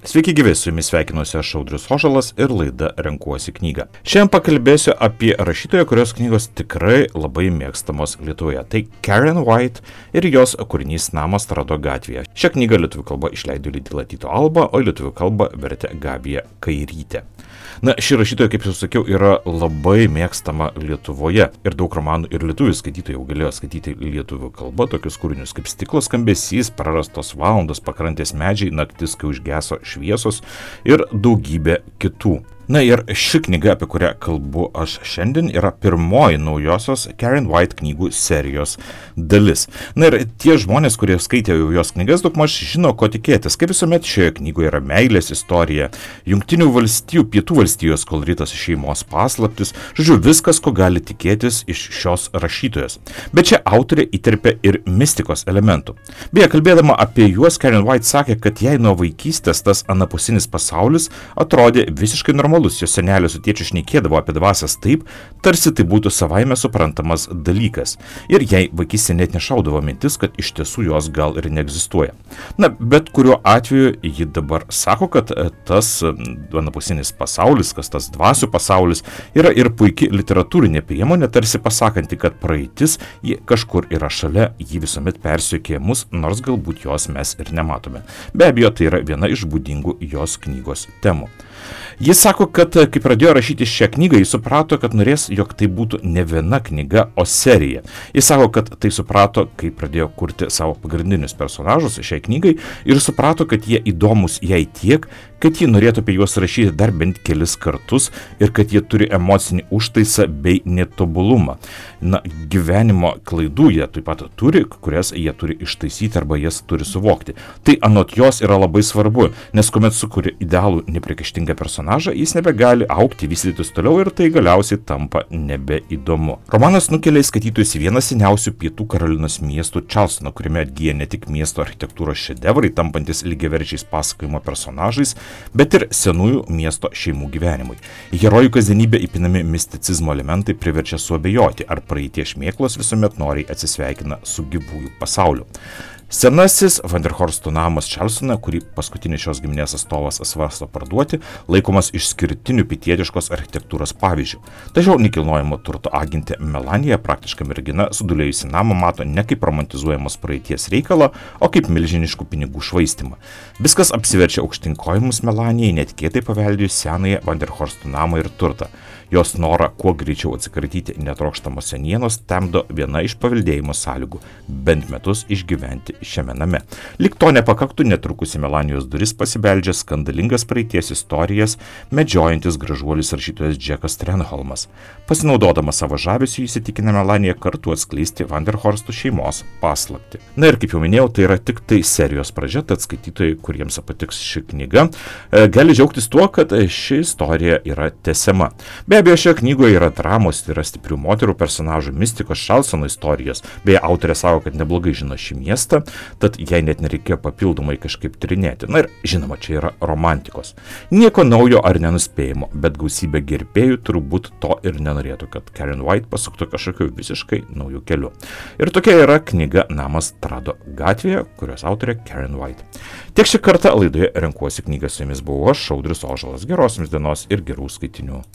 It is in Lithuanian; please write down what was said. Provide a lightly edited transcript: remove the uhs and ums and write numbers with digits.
Sveiki gyvi, su jumis sveikinuosi aš Audrius Ožalas ir laida Renkuosi knygą. Šiandien pakalbėsiu apie rašytoją, kurios knygos tikrai labai mėgstamos Lietuvoje. Tai Karen White ir jos kūrinys Namas Trado gatvėje. Šią knygą lietuvių kalba išleido leidykla Tyto Alba, o lietuvių kalba vertė Gabija Kairytė. Ši rašytoja, kaip jau sakiau, yra labai mėgstama Lietuvoje ir daug romanų ir lietuvių skaitytojų jau galėjo skaityti lietuvių kalba tokius kūrinius kaip Stiklo skambesys, Prarastos valandos, Pakrantės medžiai, Naktis, kai užgeso šviesos ir daugybė kitų. Ir ši knyga, apie kurią kalbu aš šiandien, yra pirmoji naujosios Karen White knygų serijos dalis. Ir tie žmonės, kurie skaitė jau jos knygas, daugmaž žino, ko tikėtis. Kaip visuomet šioje knygoje yra meilės istorija, Jungtinių valstijų, Pietų valstijos koloritas, šeimos paslaptis, žodžiu, viskas, ko gali tikėtis iš šios rašytojos. Bet čia autorė įterpia ir mistikos elementų. Beje, kalbėdama apie juos, Karen White sakė, kad jai nuo vaikystės tas anapusinis pasaulis atrodė visiškai normalus. Jos senelė su tėčiu šnekėdavo apie dvasias taip, tarsi tai būtų savaime suprantamas dalykas. Ir jai vaikystė net nešaudavo mintis, kad iš tiesų jos gal ir neegzistuoja. Bet kuriuo atveju ji dabar sako, kad tas anapusinis pasaulis, kas tas dvasių pasaulis, yra ir puikia literatūrinė priemonė, tarsi pasakanti, kad praeitis ji kažkur yra šalia, ji visuomet persiekė mus, nors galbūt jos mes ir nematome. Be abejo, tai yra viena iš būdingų jos knygos temų. Jis sako, kad kai pradėjo rašyti šią knygą, jis suprato, kad norės, jog tai būtų ne viena knyga, o serija. Jis sako, kad tai suprato, kai pradėjo kurti savo pagrindinius personažus šiai knygai ir suprato, kad jie įdomus jai tiek, kad ji norėtų apie juos rašyti dar bent kelis kartus ir kad jie turi emocinį užtaisą bei netobulumą. Gyvenimo klaidų jie taip pat turi, kurias jie turi ištaisyti arba jas turi suvokti. Tai anot jos yra labai svarbu, nes kuomet sukuria idealų nepriekaištingą personažą, jis nebegali augti, vystytis toliau ir tai galiausiai tampa nebeįdomu. Romanas nukelia skaitytojus į vieną seniausių Pietų Karolinos miestų Čarlstoną, kuriame atgyja ne tik miesto architektūros šedevrai, tampantis lygiaverčiais pasakojimo personažais, bet ir senųjų miesto šeimų gyvenimui. Į herojų kasdienybę įpinami misticizmo elementai priverčia suabejoti, ar praeities šmėklos visuomet noriai atsisveikina su gyvųjų pasauliu. Senasis Vanderhorsto namas Čarlstone, kurį paskutinis šios giminės atstovas svarsto parduoti, laikomas išskirtiniu pietietiškos architektūros pavyzdžiu. Tačiau nekilnojamo turto agentė Melanija, praktiška mergina, sudulėjusi namą mato ne kaip romantizuojamos praeities reikalą, o kaip milžiniškų pinigų švaistimą. Viskas apsiverčia aukštyn kojomis Melanijai, netikėtai paveldėjus senąją Vanderhorsto namą ir turtą. Jos norą kuo greičiau atsikratyti netrokštamos senienos temdo viena iš paveldėjimo sąlygų – bent metus išgyventi šiame name. Lyg to nepakaktų, netrukus į Melanijos duris pasibeldžia skandalingas praeities istorijas medžiojantis gražuolis rašytojas Džekas Trenholmas. Pasinaudodamas savo žavesiu įsitikina Melaniją kartu atskleisti Vanderhorstų šeimos paslaptį. Ir kaip jau minėjau, tai yra tik tai serijos pradžia, tad skaitytojai, kuriems patiks ši knyga, gali džiaugtis tuo, kad ši istorija yra tęsiama. Be abejo, šioje knygoje yra dramos, tai yra stiprių moterų personažų, mistikos, Čarlstono istorijos. Beje, autorė sako, kad neblogai žino šį miestą, tad jai net nereikėjo papildomai kažkaip tyrinėti. Ir žinoma, čia yra romantikos. Nieko naujo ar nenuspėjimo, bet gausybė gerbėjų turbūt to ir nenorėtų, kad Karen White pasuktų kažkokiu visiškai naujų keliu. Ir tokia yra knyga Namas Trado gatvėje, kurios autorė Karen White. Tiek šį kartą laidoje Renkuosi knygą, su jumis buvau aš, Audrius Ožalas. Geros jums dienos ir gerų skaitinių.